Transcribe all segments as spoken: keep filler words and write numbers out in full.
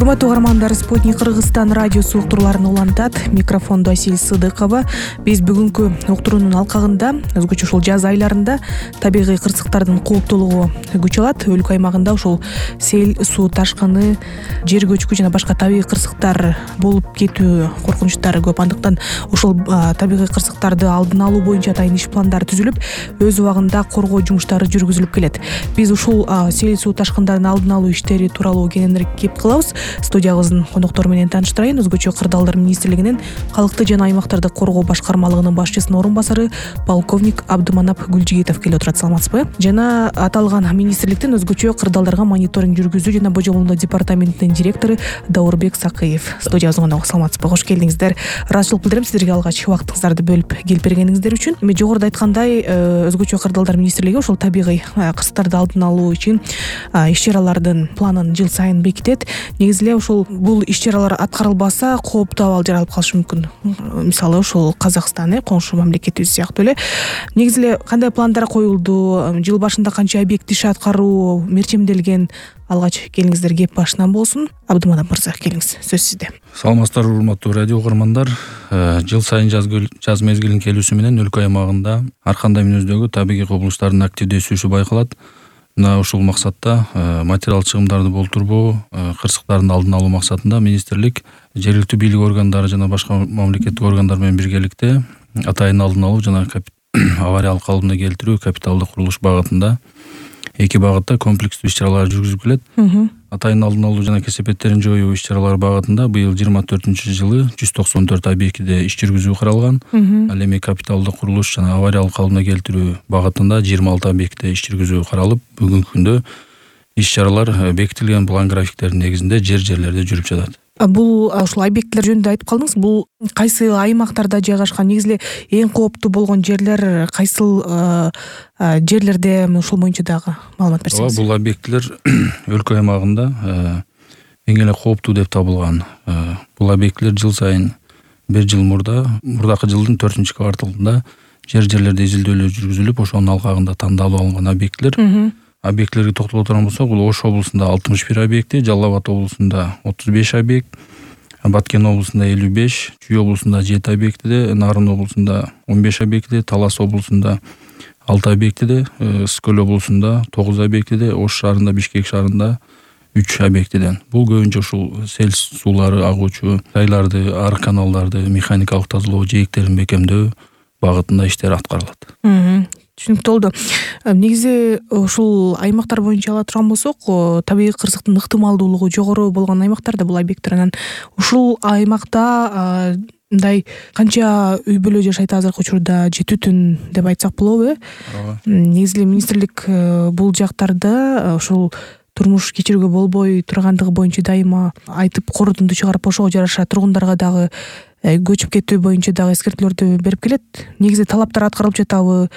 Урматтуу угармандар, Спутник Кыргызстан радиосу уктурууларын улантат. Микрофондо Асил Сыдыкова. Биз бүгүнкү уктуруунун алкагында өзгөчө ушул жаз айларында табигый кырсыктардын кооптуулугу күч алат. Өлкө аймагында ушул сел, суу ташкыны, жер көчкү жана башка табигый кырсыктар болуп кетүү коркунучтары көп. Андыктан ушул табигый кырсыктарды алдын алуу боюнча атайын иш пландары түзүлүп, өз убагында коргоо жумуштары жүргүзүлүп келет. Биз ушул сел, суу ташкындарын алдын алуу иштери тууралуу кененирээк кеп кылабыз. Студиябыздын коноктору менен тааныштырайын. Өзгөчө Кырдаалдар министрлигинин калкты жана аймактарды коргоо башкармалыгынын башчысынын орун басары полковник Абдыманап Гүлжигитов келип отурат. Саламатсызбы? Жана аталган министрликтин өзгөчө кырдаалдарга мониторинг жүргүзүү жана божомолдоо департаментинин директору Даурбек Сакыев студиябыздын коногу. Саламатсызбы? Кош келдиңиздер. Ыраазычылык билдирем сиздерге алгач убактыңыздарды бөлүп келип бергениңиздер үчүн. Эми жогоруда айткандай, өзгөчө Кырдаалдар министрлиги ушул табигый кырсыктарды алдын алуу үчүн иш-чаралардын планын жыл сайын бекитет. Негизи эле ушул бул иш-чаралар аткарылбаса кооптуу абал жаралып калышы мүмкүн. Мисалы ушул Казакстан, коңшу мамлекетибиз сыяктуу эле. Негизи эле кандай пландар коюлду? Жыл башында канча объект иш аткаруу мерчемделген? Алгач келиңиздер, кеп башынан болсун. Абдыманап мырза, келиңиз, сөз сизде. Саламатсыздар урматтуу радио угармандар. Жыл сайын жаз жаз мезгилинин келүүсү менен өлкө аймагында ар кандай мүнөздөгү табигый кубулуштардын активдүү өсүшү байкалат. Мына ушул максатта материал чыгымдарды болтурбоо, кырсыктардын алдын алуу максатында министрлик жергиликтүү бийлик органдары жана башка мамлекеттик органдар менен биргеликте атайын алдын алуу жана авариялык калыбына келтирүү капиталдык курулуш багытында эки багытта комплекстүү иш-чаралар жүргүзүлүп келет. Атайын алдын алуу жана кесепеттерин жоюу иш-чаралары багытында быйыл жыйырма төртүнчү жылы жүз токсон төрт объектиде иш жүргүзүү каралган. Ал эми капиталдык курулуш жана авариялык калыбына келтирүү багытында жыйырма алты объектиде иш жүргүзүү каралып, бүгүнкү күндө иш-чаралар бекитилген план графиктердин негизинде жер-жерлерде жүрүп жатат. Бул ушул объекттер жөнүндө айтып калдыңыз. Бул кайсы аймактарда жайгашкан? Негизи эле эң кооптуу болгон жерлер кайсыл жерлерде? Ушул боюнча дагы маалымат берсеңиз. Бул объекттер өлкө аймагында эң эле кооптуу деп табылган. Бул объекттер жыл сайын бир жыл мурда, мурдакы жылдын төртүнчү кварталында жер-жерлерде изилдөөлөр жүргүзүлүп, ошонун алкагында тандалып алынган объекттер. Объектилерге токтоло турган болсок, бул Ош облусунда алтымыш бир объекти, Жалал Абад облусунда отуз беш объект, Баткен облусунда элүү беш, Чүй облусунда жети объектиде, Нарын облусунда он беш объектиде, Талас облусунда алты объектиде, Скөл облусунда тогуз объектиде, Ош шаарында, Бишкек шаарында үч объектиден. Бул көбүнчө ушул сел суулары агуучу жайларды, арык каналдарды механикалык тазалоо, жээктерин бекемдөө багытында иштер аткарылат. Түшүнүктүү болду. Негизи ушул аймактар боюнча ала турган болсок, табигый кырсыктын ыктымалдуулугу жогору болгон аймактарда бул объекттер. Анан ушул аймакта мындай канча үй бүлө жашайт азыркы учурда, жети түн деп айтсак болобу? Негизи эле министрлик бул жактарда ушул турмуш кечирүүгө болбой тургандыгы боюнча дайыма айтып, корутунду чыгарып, ошого жараша тургундарга дагы көчүп кетүү боюнча дагы эскертүүлөрдү берип келет. Негизи талаптар аткарылып жатабы?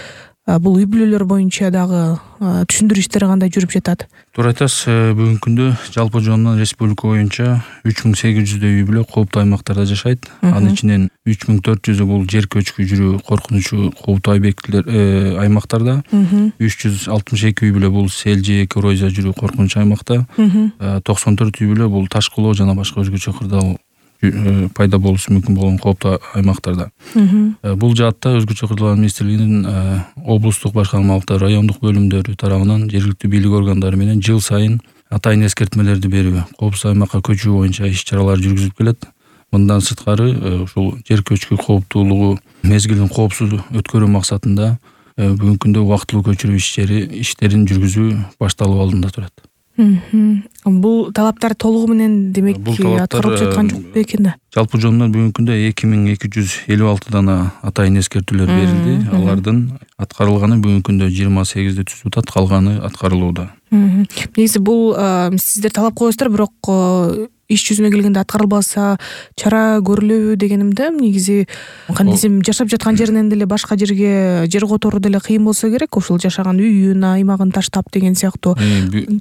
Бул үй бүлөлөр боюнча дагы түшүндүрүү иштери кандай жүрүп жатат? Туура айтасыз. Бүгүнкү күндө жалпы жонунан республика боюнча үч миң сегиз жүздөй үй бүлө кооптуу аймактарда жашайт. Анын ичинен үч миң төрт жүзү бул жер көчкү жүрүү коркунучу кооптуу объектилер аймактарда. үч жүз алтымыш эки үй бүлө бул сел же эрозия жүрүү коркунучу аймакта. токсон төрт үй бүлө бул таш кулоо жана башка өзгөчө кырдаал пайда болушу мүмкүн болгон кооптуу аймактарда. Бул жаатта өзгөчө Кырдаал министрлигинин облустук башкармалыктар, райондук бөлүмдөрү тарабынан жергиликтүү бийлик органдары менен жыл сайын атайын эскертмелерди берүү, коопсуз аймакка көчүү боюнча иш-чаралар жүргүзүлүп келет. Мындан сырткары ушул жер көчкү кооптуулугу мезгилин коопсуз өткөрүү максатында бүгүнкү күндө убактылуу көчүрүү иштери иштерин жүргүзүү башталып алдында турат. Бул талаптар толугу менен демек аткарылып жаткан жок бекен да? Жалпы жонунан бүгүнкү күндө эки миң эки жүз элүү алты дана атайын эскертүүлөр берилди. Алардын аткарылганы бүгүнкү күндө жыйырма сегизди түзүп атат, калганы аткарылууда. Негизи бул сиздер талап коесуздар, бирок иш жүзүнө келгенде аткарылбаса чара көрүлөбү дегенимде. Негизи кандай десем, жашап жаткан жеринен деле башка жерге жер которуу деле кыйын болсо керек, ошол жашаган үйүн, аймагын таштап деген сыяктуу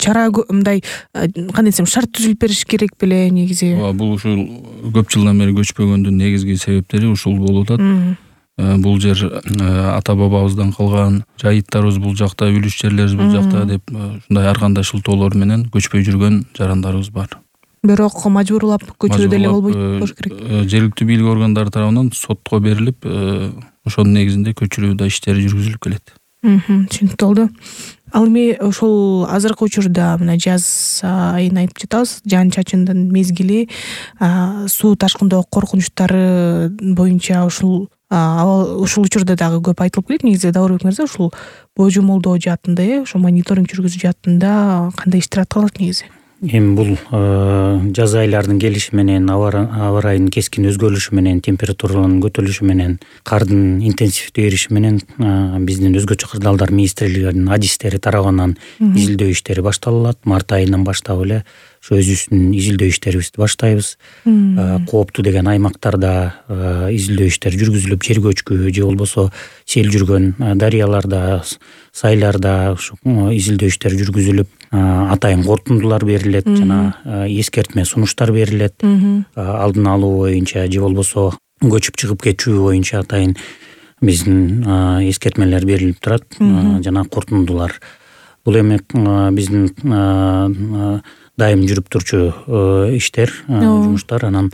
чара мындай кандай десем шарт түзүлүп бериш керек беле негизи. Бул ушул көп жылдан бери көчпөгөндүн негизги себептери ушул болуп атат. Бул жер ата бабабыздан калган, жайыттарыбыз бул жакта, үлүш жерлерибиз бул жакта деп ушундай ар кандай шылтоолор менен көчпөй жүргөн жарандарыбыз бар. бирок мажбурлап көчүрүү деле болбойт болуш керек. Жергиликтүү бийлик органдары тарабынан сотко берилип, ошонун негизинде көчүрүү да иштери жүргүзүлүп келет. Түшүнүктүү болду. Ал эми ошол азыркы учурда мына жаз айын айтып жатабыз, жаан чачындын мезгили, суу ташкындоо коркунучтары боюнча ушул ушул учурда дагы көп айтылып келет. Негизи Даурбек мырза ушул божомолдоо жаатында, э, ошо мониторинг жүргүзүү жаатында кандай иштер аткарылат негизи? Эми бул жаз айларынын келиши менен, аба ырайынын кескин өзгөрүлүшү менен, температуранын көтөрүлүшү менен, кардын интенсивдүү эриши менен биздин өзгөчө кырдаалдар министрлигинин адистери тарабынан изилдөө иштери башталат. Март айынан баштап эле ошо өзүбүздүн изилдөө иштерибизди баштайбыз. Кооптуу деген аймактарда изилдөө иштери жүргүзүлүп, жер көчкү же болбосо сел жүргөн дарыяларда, сайларда ушу изилдөө иштери жүргүзүлүп, атайын кортундулар берилет жана эскертме сунуштар берилет. Алдын алуу боюнча же болбосо көчүп чыгып кетүү боюнча атайын биздин эскертмелер берилип турат жана кортундулар. Бул эми биздин дайым жүрүп турчу иштер, жумуштар. Анан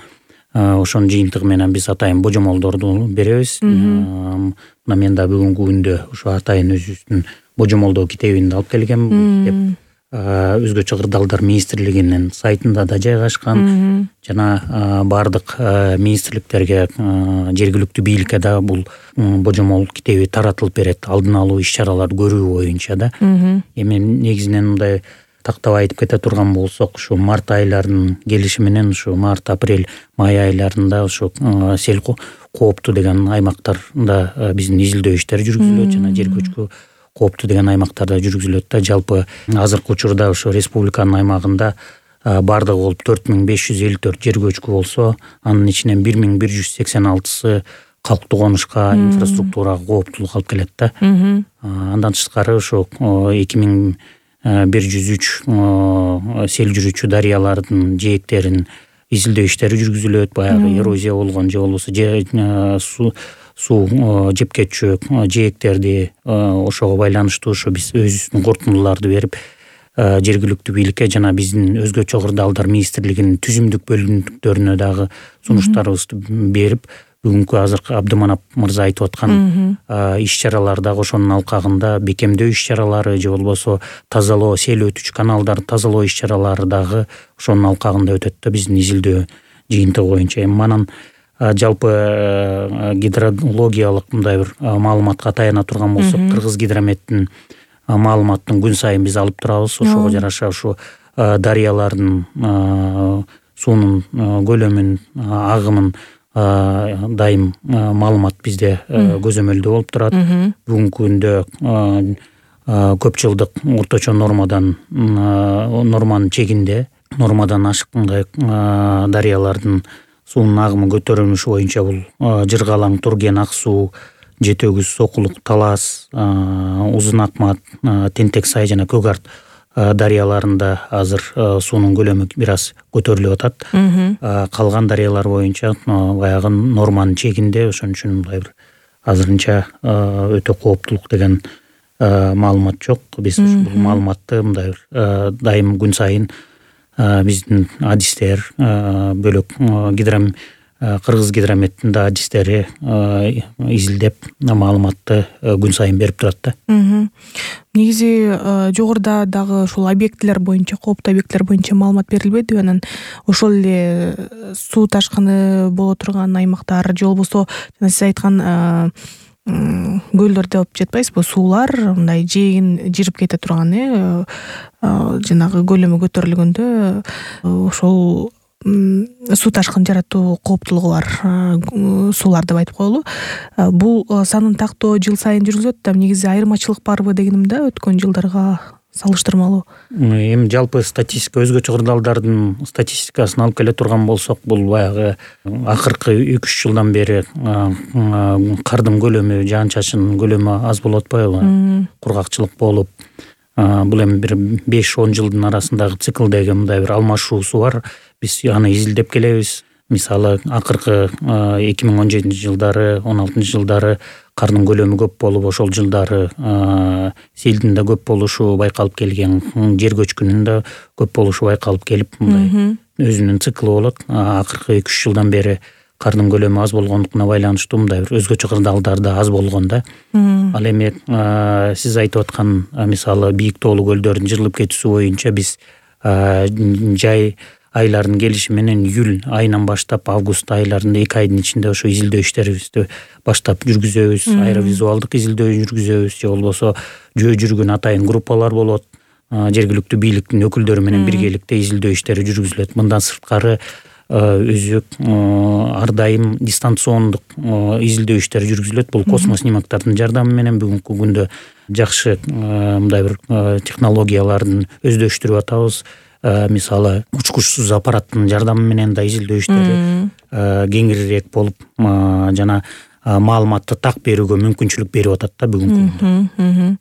ошонун жыйынтыгы менен биз атайын божомолдорду беребиз. Мына мен да бүгүнкү күндө ошо атайын өзүбүздүн божомолдоо китебинди алып келгем. Китеп өзгөчө кырдаалдар министрлигинин сайтында да жайгашкан жана баардык министрликтерге, жергиликтүү бийликке да бул божомол китеби таратылып берет, алдын алуу иш-чараларды көрүү боюнча да. Эми негизинен мындай тактап айтып кете турган болсок, ушу март айларынын келиши менен ушу март, апрель, май айларында ушу сел кооптуу деген аймактарда биздин изилдөө иштери жүргүзүлөт жана жер көчкү кооптуу деген аймактарда жүргүзүлөт да. Жалпы азыркы учурда ошо республиканын аймагында бардыгы болуп төрт миң беш жүз элүү төрт жер көчкү болсо, анын ичинен бир миң бир жүз сексен алтысы калктуу конушка, инфраструктурага кооптуулук алып келет да. Андан тышкары ошо эки миң бир жүз үч сел жүрүүчү дарыялардын жээктерин изилдөө иштери жүргүзүлөт. Баягы эрозия болгон же болбосо суу суу жеп кетчү жээктерди ошого байланыштуу ошо биз өзүбүздүн кортундуларды берип, жергиликтүү бийликке жана биздин өзгөчө кырдаалдар министрлигинин түзүмдүк бөлүмдүктөрүнө дагы сунуштарыбызды берип, бүгүнкү азыркы Абдыманап мырза айтып аткан иш-чаралар дагы ошонун алкагында бекемдөө иш-чаралары же болбосо тазалоо, сел өтүчү каналдарды тазалоо иш-чаралары дагы ошонун алкагында өтөт да биздин изилдөө жыйынтыгы боюнча. Эми манан жалпы гидрологиялык мындай бир маалыматка таяна турган болсок, Кыргыз гидрометтин маалыматын күн сайын биз алып турабыз. Ошого жараша ушу дарыялардын суунун көлөмүн, агымын дайым маалымат бизде көзөмөлдөө болуп турат. Бүгүнкү күндө көп жылдык орточо нормадан норманын чегинде, нормадан ашыккандай дарыялардын суунун агымы көтөрүлүшү боюнча бул Жыргалаң, Турген, Ак суу, Жети өгүз, Сокулук, Талас, Узун Акмат, Тентек сай жана Көк Арт дарыяларында азыр суунун көлөмү бир аз көтөрүлүп атат. Калган дарыялар боюнча баягы норманын чегинде, ошон үчүн мындай бир азырынча өтө кооптулук деген маалымат жок. Биз бул маалыматты мындай бир дайым күн сайын биздин адистер, бөлөк гидром Кыргыз гидрометтин да адистери изилдеп маалыматты күн сайын берип турат да. Негизи жогоруда дагы ушул объектилер боюнча, кооптуу объектилер боюнча маалымат берилбедиби? Анан ошол эле суу ташкыны боло турган аймактар же болбосо жана сиз айткан көлдөр деп жатпайсызбы? Суулар мындай жээгин жирип кете турган, э, жанагы көлөмү көтөрүлгөндө ошол суу ташкын жаратуу кооптулугу бар суулар деп айтып коелу. Бул санын тактоо жыл сайын жүргүзүлөт да. Негизи айырмачылык барбы дегеним да, өткөн жылдарга салыштырмалуу. Эми жалпы статистика, өзгөчө кырдаалдардын статистикасын алып келе турган болсок, бул баягы акыркы эки үч жылдан бери кардын көлөмү, жаан чачынын көлөмү аз болуп атпайбы? Кургакчылык болуп, бул эми бир беш он жылдын арасындагы циклдеги мындай бир алмашуусу бар. Биз аны изилдеп келебиз. мисалы акыркы эки миң он жетинчи жылдары он алтынчы жылдары кардын көлөмү көп болуп, ошол жылдары селдин да көп болушу байкалып келген, жер көчкүнүн да көп болушу байкалып келип, мындай өзүнүн циклы болот. Акыркы эки үч жылдан бери кардын көлөмү аз болгондугуна байланыштуу мындай бир өзгөчө кырдаалдар да аз болгон да. Ал эми сиз айтып аткан мисалы бийик тоолуу көлдөрдүн жырылып кетүүсү боюнча биз жай айлардын келиши менен июль айынан баштап август айларында эки айдын ичинде ошо изилдөө иштерибизди баштап жүргүзөбүз. Аэровизуалдык изилдөө жүргүзөбүз, же болбосо жөө жүргөн атайын группалар болот. Жергиликтүү бийликтин өкүлдөрү менен биргеликте изилдөө иштери жүргүзүлөт. Мындан сырткары өзү ар дайым дистанциондук изилдөө иштери жүргүзүлөт. Бул космос снимоктардын жардамы менен бүгүнкү күндө жакшы мындай бир технологиялардын өздөштүрүп атабыз. Мисалы учкучсуз аппараттын жардамы менен да изилдөө иштери кеңирирээк болуп жана маалыматты так берүүгө мүмкүнчүлүк берип атат да бүгүнкү күндө.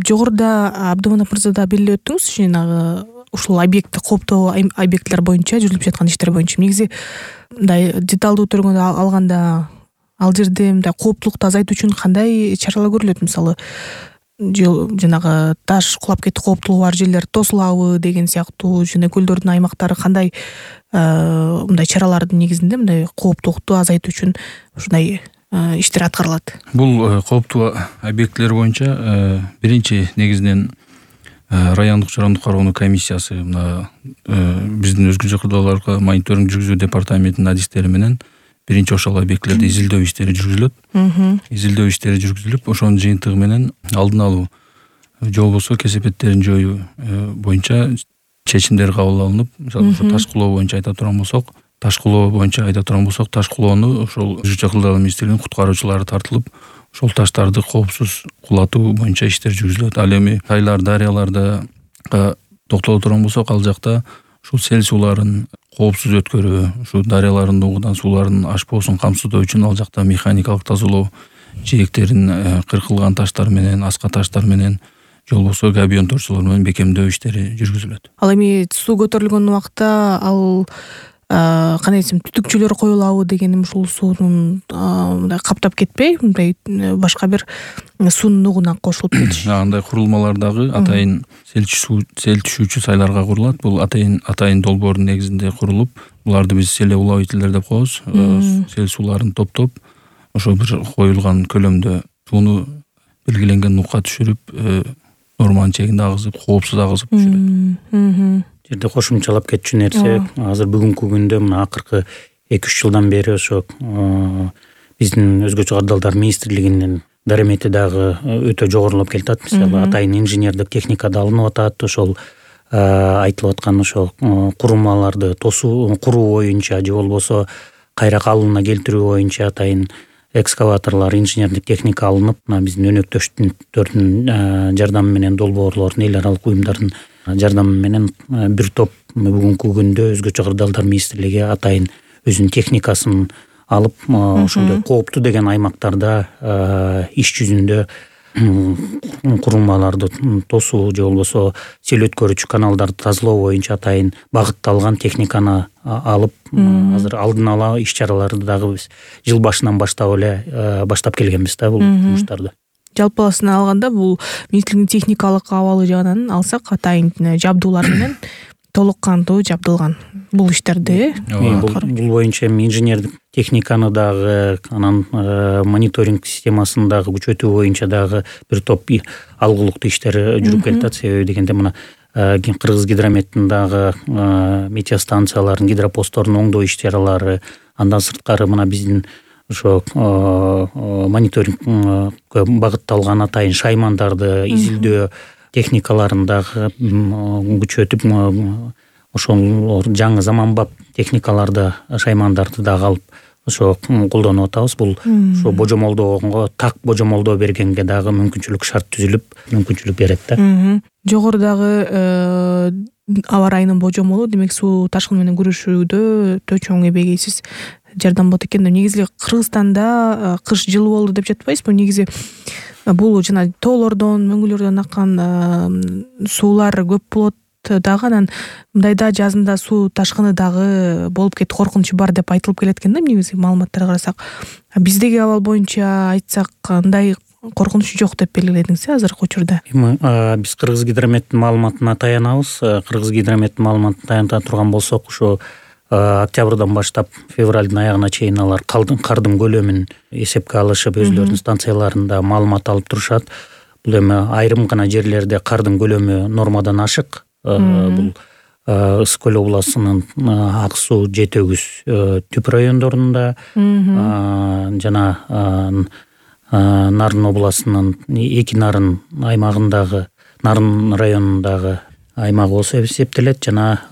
Жогоруда Абдыманап мырза да белгилеп өттүңүз, жанагы ушул объектти кооптоо объектилер боюнча жүрүлүп жаткан иштер боюнча негизи мындай деталдуу түргөндө алганда ал жерде мындай кооптулукту азайтуу үчүн кандай чаралар көрүлөт? Мисалы жанагы таш кулап кетүү кооптулугу бар жерлер тосулабы деген сыяктуу, жана көлдөрдүн аймактары кандай мындай чаралардын негизинде мындай кооптулукту азайтуу үчүн ушундай иштер аткарылат? Бул кооптуу объектилер боюнча биринчи негизинен райондук жарандык кароонуу комиссиясы мына биздин өзгөчө кырдаалдарга мониторинг жүргүзүү департаментинин адистери менен биринчи ошол объектилерди изилдөө иштери жүргүзүлөт. Изилдөө иштери жүргүзүлүп, ошонун жыйынтыгы менен алдын алуу же болбосо кесепеттерин жоюу боюнча чечимдер кабыл алынып, мисалы ошо таш кулоо боюнча айта турган болсок, таш кулоо боюнча айта турган болсок, таш кулоону ошол өзгөчө кырдаал министрлигинин куткаруучулары тартылып, ошол таштарды коопсуз кулатуу боюнча иштер жүргүзүлөт. Ал эми тайлар, дарыяларда токтоло турган болсок, ал жакта ушул сел сууларын коопсуз өткөрүү, ушу дарыялардын угудан суулардын ашпоосун камсыздоо үчүн ал жакта механикалык тазалоо, жээктерин кыркылган таштар менен, аска таштар менен, же болбосо габион торчолор менен бекемдөө иштери жүргүзүлөт. Ал эми суу көтөрүлгөн убакта ал кандай десем түтүкчөлөр коюлабы дегеним, ушул суунун мындай каптап кетпей, мындай башка бир суунун угуна кошулуп кетиш. Андай курулмалар дагы атайын сел түшүүчү сайларга курулат. Бул атайын атайын долбоордун негизинде курулуп, буларды биз селеуловителер деп коебуз. Сел сууларын топтоп, ошо бир коюлган көлөмдө сууну белгиленген нукка түшүрүп, норманын чегинде агызып, коопсуз агызып түшүрөт. Жерде кошумчалап кетчү нерсе, азыр бүгүнкү күндө мына акыркы эки үч жылдан бери ошо биздин өзгөчө кырдаалдар министрлигинин даремети дагы өтө жогорулап келатат. Мисалы атайын инженердик техника да алынып атат. Ошол айтылып аткан ошо курулмаларды тосуу, куруу боюнча же болбосо кайра калыбына келтирүү боюнча атайын экскаваторлор, инженердик техника алынып, мына биздин өнөктөштөрдүн жардамы менен, долбоорлордун, эл аралык уюмдардын жардамы менен бир топ бүгүнкү күндө өзгөчө кырдаалдар министрлиги атайын өзүнүн техникасын алып, ошондой кооптуу деген аймактарда иш жүзүндө курулмаларды тосуу же болбосо сел өткөрүүчү каналдарды тазалоо боюнча атайын багытталган техниканы алып, азыр алдын ала иш чараларды дагы биз жыл башынан баштап эле баштап келгенбиз да бул жумуштарды. Жалпысын алганда бул министрликтин техникалык абалы жагынан алсак, атайын жабдуулар менен толук кандуу жабдылган бул иштерди. Бул боюнча инженердик техниканы дагы, анан мониторинг системасын дагы күчөтүү боюнча дагы бир топ алгылыктуу иштер жүрүп келатат. Себеби дегенде мына Кыргыз гидрометтин дагы метеостанциялардын, гидропосттордун оңдоо иш чаралары, андан сырткары мына биздин ошо мониторингке багытталган атайын шаймандарды изилдөө техникаларын дагы күчөтүп, ошол жаңы заманбап техникаларды, шаймандарды дагы алып ошо колдонуп атабыз. Бул ошо божомолдоого, так божомолдоо бергенге дагы мүмкүнчүлүк шарт түзүлүп, мүмкүнчүлүк берет да. Жогорудагы аба ырайынын божомолу, демек суу ташкыны менен күрөшүүдө өтө чоң эбегейсиз жардам болот экен. Негизи Кыргызстанда кыш жылуу болду деп жатпайсызбы? Негизи бул жана тоолордон, мөңгүлөрдөн аккан суулар көп болот дагы анан мындайда жазында суу ташкыны дагы болуп кетти, коркунучу бар деп айтылып келет экен да негизи маалыматтарга карасак. Биздеги абал боюнча айтсак андай коркунуч жок деп белгиледиңиз азыркы учурда. Эми биз Кыргызгидрометтин маалыматына таянабыз. Кыргызгидрометтин маалыматына таяна турган болсок, ушу октябрдан баштап февралдын аягына чейин алар кардын көлөмүн эсепке алышып, өзүлөрүнүн станцияларында маалымат алып турушат. Бул эми айрым гана жерлерде кардын көлөмү нормадан ашык. Бул Ысык көл областынын Ак суу, Жети өгүз түп райондорунда жана Нарын областынын эки Нарын аймагындагы, Нарын районундагы аймак болсо эсептелет, жана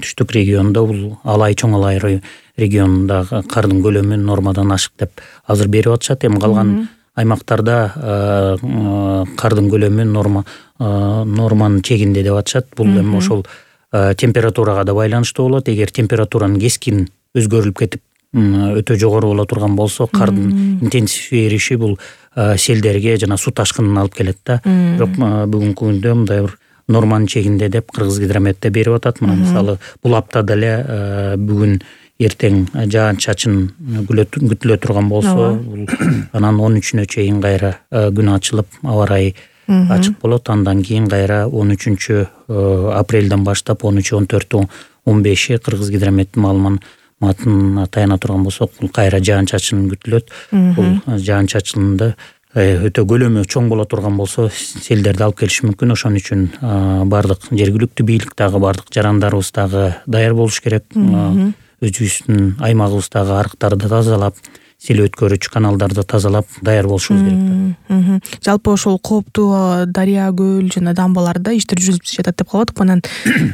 түштүк региондо бул Алай, Чоң Алай регионундагы кардын көлөмү нормадан ашык деп азыр берип атышат. Эми калган аймактарда кардын көлөмү норма норманын чегинде деп атышат. Бул эми ошол температурага да байланыштуу болот. Эгер температуранын кескин өзгөрүлүп кетип өтө жогору боло турган болсо, кардын интенсив эриши бул селдерге жана суу ташкынына алып келет да. Бирок бүгүнкү күндө мындай бир норманын чегинде деп Кыргызгидрометте берип атат. Мына мисалы бул аптада эле бүгүн эртең жаан чачын күтүлө турган болсо, бул анан он үчүнө чейин кайра күн ачылып, аба ырайы ачык болот. Андан кийин кайра он үчүнчү апрелден баштап он үч, он төрт, он беши Кыргызгидрометтин маалыматына таяна турган болсок, бул кайра жаан чачын күтүлөт. Бул жаан чачынды өтө көлөмү чоң боло турган болсо, селдерди алып келиши мүмкүн. Ошон үчүн бардык жергиликтүү бийлик дагы, бардык жарандарыбыз дагы даяр болуш керек. Өзүбүздүн аймагыбыздагы арыктарды тазалап, сел өткөрүүчү каналдарды тазалап даяр болушубуз керек. Жалпы ошол кооптуу дарыя, көл жана дамбаларда иштер жүрүлүп жатат деп калып атык. Анан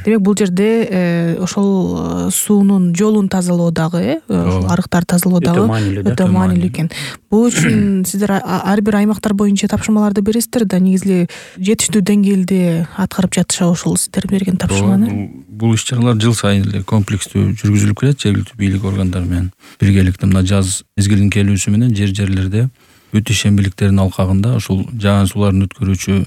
демек бул жерде ошол суунун жолун тазалоо дагы, ошол арыктарды тазалоо дагы өтө маанилүү экен. Бул үчүн сиздер ар бир аймактар боюнча тапшырмаларды бересиздер да, негизи жетиштүү деңгээлде аткарып жатышабы ошол сиздер берген тапшырманы? Бул иш-чаралар жыл сайын эле комплекстүү жүргүзүлүп келет жергиликтүү бийлик органдары менен биргеликте. Мына жаз мезгилинин келүүсү менен жер жерлерде бүт ишембиликтердин алкагында ушул жаан сууларын өткөрүүчү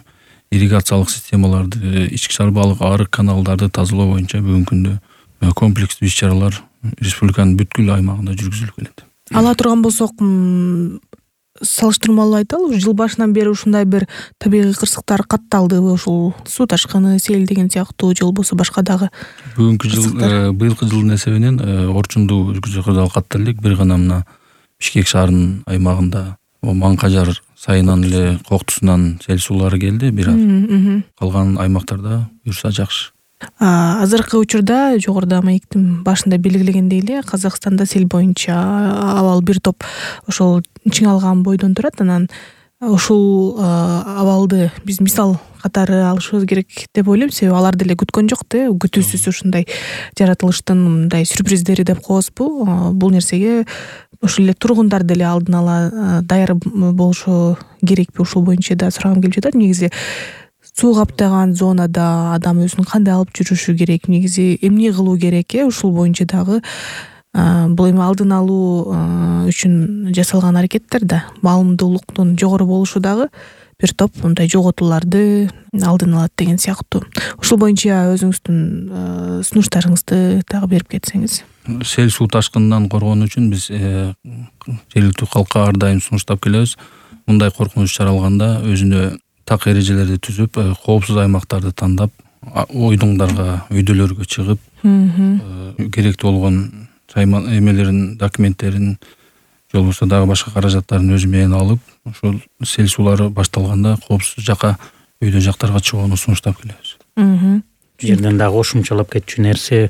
ирригациялык системаларды, ички шарбалык арык каналдарды тазалоо боюнча бүгүнкү күндө комплекстүү иш-чаралар республиканын бүткүл аймагында жүргүзүлүп келет. Ала турган болсок, салыштырмалуу айталы, жыл башынан бери ушундай бир табигый кырсыктар катталдыбы? Ушул суу ташкыны, сел деген сыяктуу, же болбосо башка дагы? Бүгүнкү жыл, быйылкы жылдын эсебинен орчундуу өзгөчө кырдаал каттала элек. Бир гана мына Бишкек шаарынын аймагында Маңкажар сайынан эле Коктусунан сел суулары келди бир аз. Калган аймактарда буюрса жакшы. Азыркы учурда жогоруда маектин башында белгилегендей эле Казакстанда сел боюнча абал бир топ ошол чыңалган бойдон турат. Анан ушул абалды биз мисал катары алышыбыз керек деп ойлойм. Себеби алар деле күткөн жок да, күтүүсүз ушундай жаратылыштын мындай сюрприздери деп коебузбу. Бул нерсеге ошол эле тургундар деле алдын ала даяр болушу керекпи? Ушул боюнча да сурагым келип жатат. Негизи суу каптаган зонада адам өзүн кандай алып жүрүшү керек, негизи эмне кылуу керек э? Ушул боюнча дагы бул эми алдын алуу үчүн жасалган аракеттер да, маалымдуулуктун жогору болушу дагы бир топ мындай жоготууларды алдын алат деген сыяктуу. Ушул боюнча өзүңүздүн сунуштарыңызды дагы берип кетсеңиз. Сел суу ташкынынан коргонуу үчүн биз жергиликтүү калкка ар дайым сунуштап келебиз. Мындай коркунуч чаралганда өзүнө так эрежелерди түзүп, коопсуз аймактарды тандап, ойдуңдарга, өйдөлөргө чыгып, керектүү болгон эмелерин, документтерин, же болбосо дагы башка каражаттарын өзү менен алып, ошол сел суулары башталганда коопсуз жака, өйдө жактарга чыгууну сунуштап келебиз. Жерден дагы кошумчалап кетчү нерсе,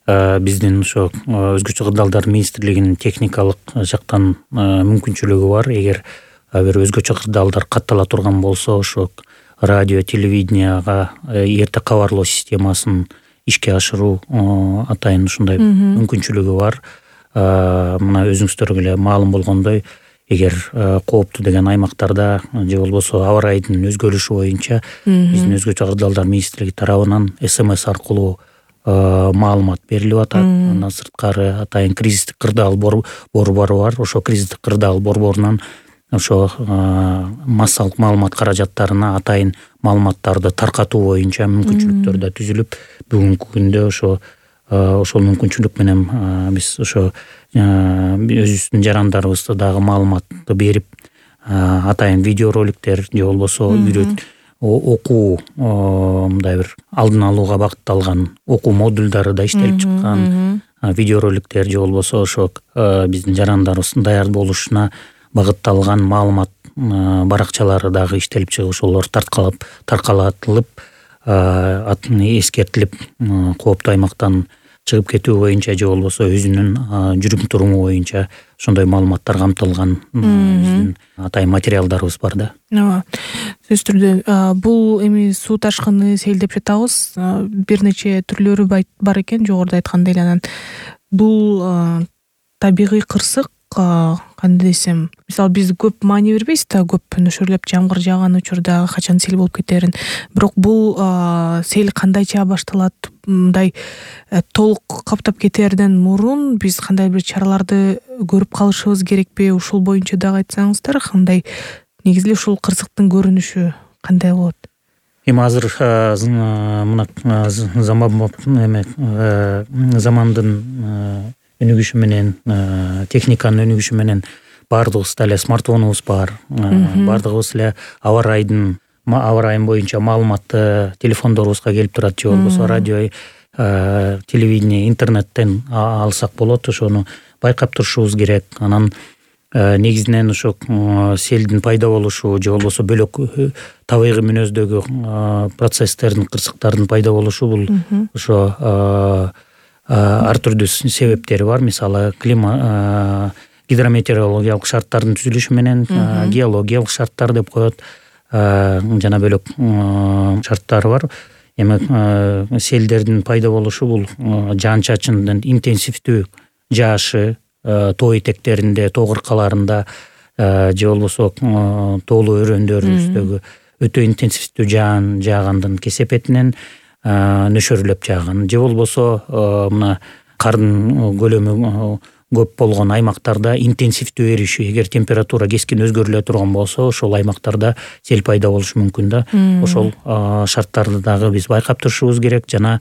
биздин ошо өзгөчө кырдаалдар министрлигинин техникалык жактан мүмкүнчүлүгү бар. Эгер бир өзгөчө кырдаалдар каттала турган болсо, ошо радио, телевиденияга эрте кабарлоо системасын ишке ашыруу атайын ушундай мүмкүнчүлүгү бар. Мына өзүңүздөргө эле маалым болгондой, эгер кооптуу деген аймактарда же болбосо аба ырайдын өзгөрүшү боюнча биздин өзгөчө кырдаалдар министрлиги тарабынан эс эм эс аркылуу маалымат берилип атат. Андан сырткары атайын кризистик кырдаал борбору бар. Ошо кризистик кырдаал борборунан ошо массалык маалымат каражаттарына атайын маалыматтарды таркатуу боюнча мүмкүнчүлүктөр да түзүлүп, бүгүнкү күндө ошо ошол мүмкүнчүлүк менен биз ошо өзүбүздүн жарандарыбызды дагы маалыматты берип, атайын видеороликтер же болбосо үйрөт окуу, мындай бир алдын алууга багытталган окуу модулдары да иштелип чыккан, видеороликтер же болбосо ошо биздин жарандарыбыздын даяр болушуна багытталган маалымат баракчалары дагы иштелип чыгып, ошолор тарткалап таркалатылып, эскертилип, кооптуу аймактан чыгып кетүү боюнча же болбосо өзүнүн жүрүм туруму боюнча ошондой маалыматтар камтылган биздин атайын материалдарыбыз бар да. Ооба, сөзсүз түрдө бул эми суу ташкыны, сел деп жатабыз, бир нече түрлөрү бар экен жогоруда айткандай эле. Анан бул табигый кырсык кандай десем, мисалы биз көп маани бербейбиз да, көп нөшөрлөп жамгыр жааган учурда качан сел болуп кетерин. Бирок бул сел кандайча башталат, мындай толук каптап кетерден мурун биз кандай бир чараларды көрүп калышыбыз керекпи? Ушул боюнча дагы айтсаңыздар, кандай негизи эле ушул кырсыктын көрүнүшү кандай болот? Эми азыр мына заман эме замандын өнүгүшү менен, техниканын өнүгүшү менен баардыгыбызда эле смартфонубуз бар, баардыгыбыз эле аба райдын аба райын боюнча маалыматты телефондорубузга келип турат, же болбосо радио, телевидение, интернеттен алсак болот. Ошону байкап турушубуз керек. Анан негизинен ошо селдин пайда болушу же болбосо бөлөк табигый мүнөздөгү процесстердин, кырсыктардын пайда болушу бул ошо ар түрдүү себептери бар. Мисалы климат, гидрометеорологиялык шарттардын түзүлүшү менен геологиялык шарттар деп коет, жана бөлөк шарттары бар. Эми селдердин пайда болушу бул жаан чачындын интенсивдүү жаашы, тоо этектеринде, тоо кыркаларында же болбосо тоолуу өрөөндөрүбүздөгү өтө интенсивдүү жаан жаагандын кесепетинен нөшөрлөп жааган, же болбосо мына кардын көлөмү көп болгон аймактарда интенсивдүү эришүү, эгер температура кескин өзгөрүлө турган болсо, ошол аймактарда сел пайда болушу мүмкүн да. Ошол шарттарды дагы биз байкап турушубуз керек. Жана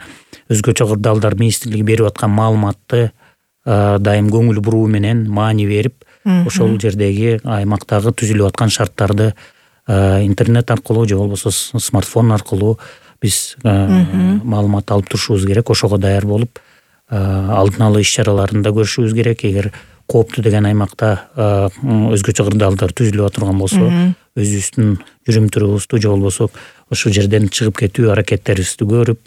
өзгө чогордалдар министрлиги берип аткан маалыматты дайым көңүл буруу менен маани берип, ошол жердеги аймактагы түзүлүп аткан шарттарды интернет аркылуу же болбосо смартфон аркылуу биз маалымат алып турушубуз керек. Ошого даяр болуп, алдын алуу иш-чараларында көрүшүбүз керек. Эгер кооптуу деген аймакта өзгөчө кырдаалдар түзүлүп турган болсо, өзүбүздүн жүрүм турубузду же болбосо ошол жерден чыгып кетүү аракеттерибизди көрүп,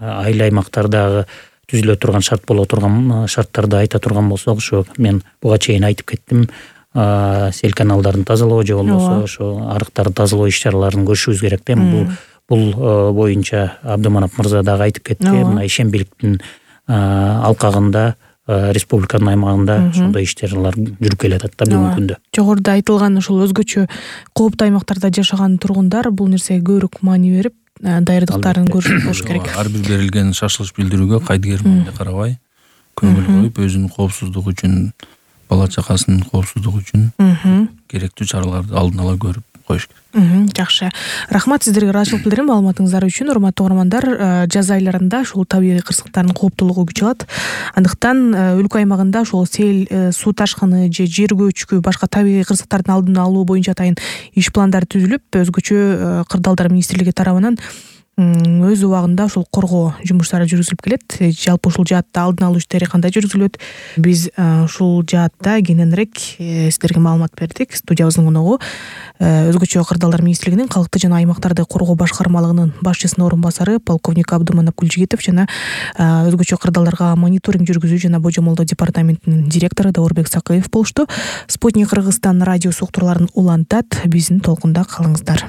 айыл аймактардагы түзүлө турган шарт боло турган шарттарды айта турган болсок, ошо мен буга чейин айтып кеттим, сел каналдарын тазалоо же болбосо ошо арыктарды тазалоо иш-чараларын көрүшүбүз керек да. Бул бул боюнча Абдыманап мырза дагы айтып кетти. Мына ишембиликтин алкагында, республиканын аймагында ошондой иш-чаралар жүрүп келатат да бүгүнкү күндө. Жогоруда айтылган ошол өзгөчө кооптуу аймактарда жашаган тургундар бул нерсеге көбүрөөк маани берип, даярдыктарын көрүшүп болуш керек. Ар бир берилген шашылыш билдирүүгө кайдыгер мамиле карабай, көңүл коюп, өзүнүн коопсуздугу үчүн, бала чакасынын коопсуздугу үчүн керектүү чараларды алдын ала көрүп коюш керек. Жакшы. Рахмат сиздерге ыраазычылык билдирем маалыматыңыздар үчүн. Урматтуу угармандар, жаз айларында ушул табигый кырсыктардын кооптуулугу күч алат. Андыктан өлкө аймагында ошол сел, суу ташкыны же жер көчкү, башка табигый кырсыктардын алдын алуу боюнча атайын иш пландары түзүлүп, өзгөчө кырдаалдар министрлиги тарабынан өз убагында ушул коргоо жумуштары жүргүзүлүп келет. Жалпы ушул жаатта алдын алуу иштери кандай жүргүзүлөт? Биз ушул жаатта кененирээк сиздерге маалымат бердик. Студиябыздын коногу өзгөчө кырдаалдар министрлигинин калкты жана аймактарды коргоо башкармалыгынын башчысынын орун басары полковник Абдыманап Гүлжигитов жана өзгөчө кырдаалдарга мониторинг жүргүзүү жана божомолдоо департаментинин директору Даурбек Сакыев болушту. Спутник Кыргызстан радиосу уктурууларын улантат. Биздин толкунда калыңыздар.